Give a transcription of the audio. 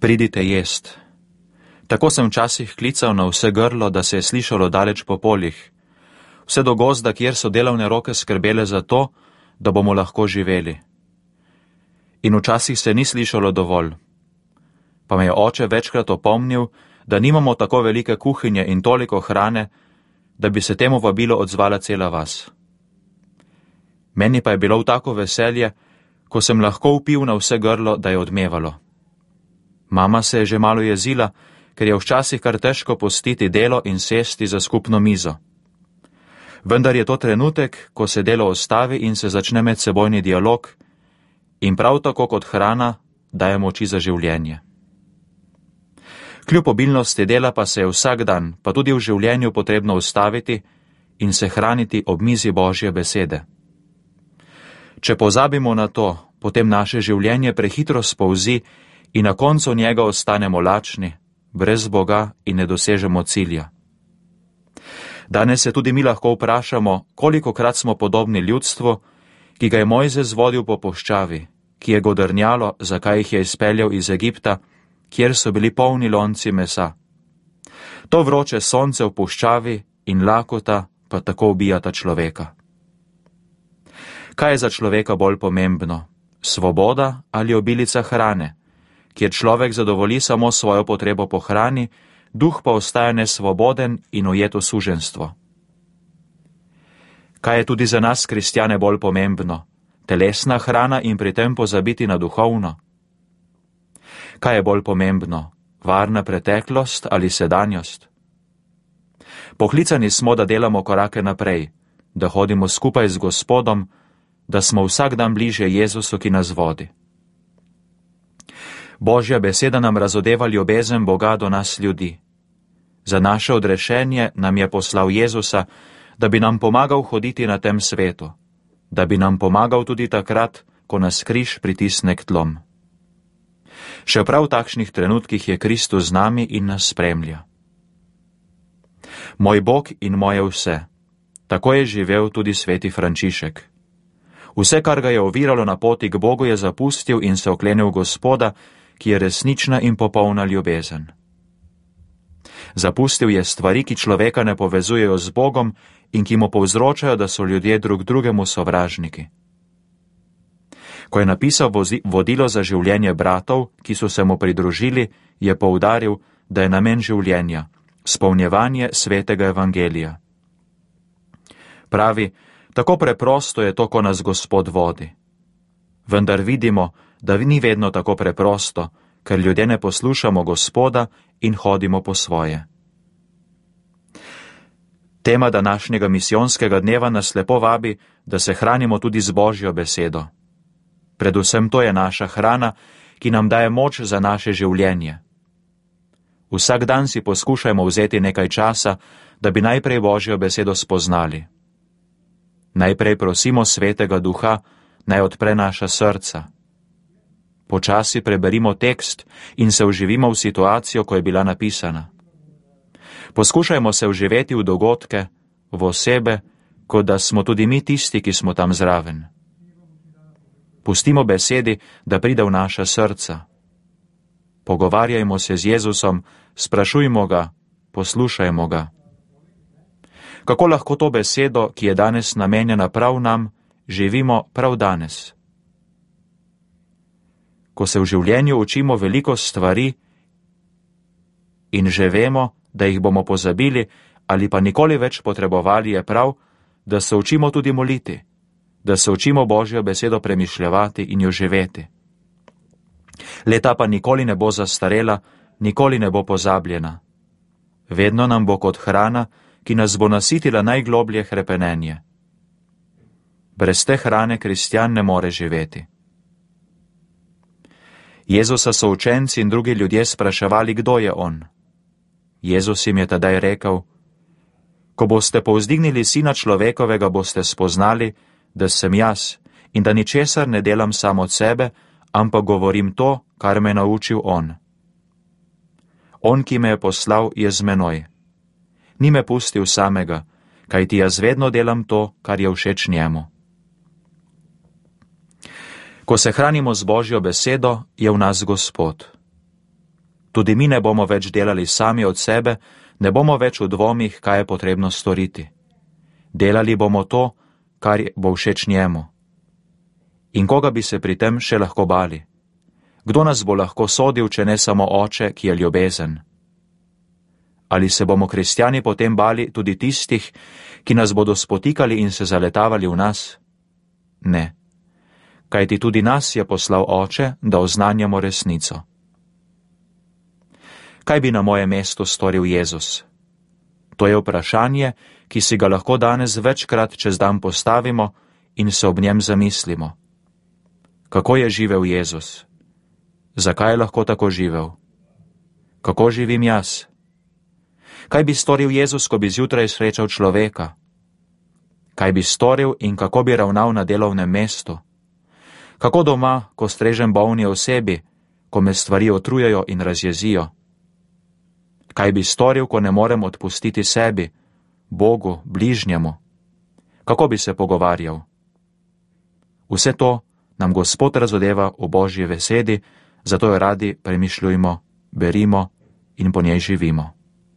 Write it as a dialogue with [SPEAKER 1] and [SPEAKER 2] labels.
[SPEAKER 1] Pridite jest. Tako sem včasih klical na vse grlo, da se je slišalo daleč po poljih, vse do gozda, kjer so delovne roke skrbele za to, da bomo lahko živeli. In včasih se ni slišalo dovolj. Pa me je oče večkrat opomnil, da nimamo tako velike kuhinje in toliko hrane, da bi se temu vabilu odzvala cela vas. Meni pa je bilo v tako veselje, ko sem lahko vpil na vse grlo, da je odmevalo. Mama se je že malo jezila, ker je včasih kar težko pustiti delo in sesti za skupno mizo. Vendar je to trenutek, ko se delo ostavi in se začne medsebojni dialog in prav tako kot hrana daje moči za življenje. Kljub obilnosti dela pa se je vsak dan, pa tudi v življenju potrebno ustaviti in se hraniti ob mizi Božje besede. Če pozabimo na to, potem naše življenje prehitro spolzi in na koncu njega ostanemo lačni, brez Boga in ne dosežemo cilja. Danes se tudi mi lahko vprašamo, kolikokrat smo podobni ljudstvu, ki ga je Mojzes vodil po puščavi, ki je godrnjalo, zakaj jih je izpeljal iz Egipta, kjer so bili polni lonci mesa. To vroče sonce v puščavi in lakota pa tako ubijata človeka. Kaj je za človeka bolj pomembno, svoboda ali obilica hrane, kjer človek zadovolji samo svojo potrebo po hrani, duh pa ostaja nesvoboden in ujet v suženjstvo? Kaj je tudi za nas, kristjane, bolj pomembno, telesna hrana in pri tem pozabiti na duhovno? Kaj je bolj pomembno, varna preteklost ali sedanjost? Poklicani smo, da delamo korake naprej, da hodimo skupaj z Gospodom, da smo vsak dan bliže Jezusu, ki nas vodi. Božja beseda nam razodeva ljubezen Boga do nas ljudi. Za naše odrešenje nam je poslal Jezusa, da bi nam pomagal hoditi na tem svetu, da bi nam pomagal tudi takrat, ko nas križ pritisne k tlom. Še prav v takšnih trenutkih je Kristus z nami in nas spremlja. Moj Bog in moje vse. Tako je živel tudi sveti Frančišek. Vse, kar ga je oviralo na poti k Bogu, je zapustil in se oklenil Gospoda, ki je resnična in popolna ljubezen. Zapustil je stvari, ki človeka ne povezujejo z Bogom in ki mu povzročajo, da so ljudje drug drugemu sovražniki. Ko je napisal vodilo za življenje bratov, ki so se mu pridružili, je poudaril, da je namen življenja spolnjevanje svetega evangelija. Pravi, tako preprosto je to, ko nas Gospod vodi. Vendar vidimo, da ni vedno tako preprosto, ker ljudje ne poslušamo Gospoda in hodimo po svoje. Tema današnjega misijonskega dneva nas lepo vabi, da se hranimo tudi z Božjo besedo. Predvsem to je naša hrana, ki nam daje moč za naše življenje. Vsak dan si poskušajmo vzeti nekaj časa, da bi najprej Božjo besedo spoznali. Najprej prosimo Svetega Duha, naj odpre naša srca. Počasi preberimo tekst in se vživimo v situacijo, ko je bila napisana. Poskušajmo se vživeti v dogodke, v osebe, kot da smo tudi mi tisti, ki smo tam zraven. Pustimo besedi, da pride v naša srca. Pogovarjajmo se z Jezusom, sprašujmo ga, poslušajmo ga. Kako lahko to besedo, ki je danes namenjena prav nam, živimo prav danes? Ko se v življenju učimo veliko stvari in že vemo, da jih bomo pozabili ali pa nikoli več potrebovali, je prav, da se učimo tudi moliti, da se učimo Božjo besedo premišljevati in jo živeti. Leta pa nikoli ne bo zastarela, nikoli ne bo pozabljena. Vedno nam bo kot hrana, ki nas bo nasitila najgloblje hrepenenje. Brez te hrane kristjan ne more živeti. Jezusa so učenci in drugi ljudje spraševali, kdo je on. Jezus jim je tedaj rekel: Ko boste povzdignili Sina človekovega, boste spoznali, da sem jaz in da ničesar ne delam sam od sebe, ampak govorim to, kar me je naučil on. On, ki me je poslal, je z menoj. Ni me pustil samega, kajti jaz vedno delam to, kar je všeč njemu. Ko se hranimo z Božjo besedo, je v nas Gospod. Tudi mi ne bomo več delali sami od sebe, ne bomo več v dvomih, kaj je potrebno storiti. Delali bomo to, kar bo všeč njemu. In koga bi se pri tem še lahko bali? Kdo nas bo lahko sodil, če ne samo Oče, ki je ljubezen? Ali se bomo kristjani potem bali tudi tistih, ki nas bodo spotikali in se zaletavali v nas? Ne. Kajti tudi nas je poslal Oče, da oznanjamo resnico. Kaj bi na mojem mestu storil Jezus? To je vprašanje, ki si ga lahko danes večkrat čez dan postavimo in se ob njem zamislimo. Kako je živel Jezus? Zakaj je lahko tako živel? Kako živim jaz? Kaj bi storil Jezus, ko bi zjutraj srečal človeka? Kaj bi storil in kako bi ravnal na delovnem mestu? Kako doma, ko strežem bolni osebi, ko me stvari otrujejo in razjezijo? Kaj bi storil, ko ne morem odpustiti sebi, Bogu, bližnjemu? Kako bi se pogovarjal? Vse to nam Gospod razodeva v Božji besedi, zato jo radi premišljujmo, berimo in po njej živimo.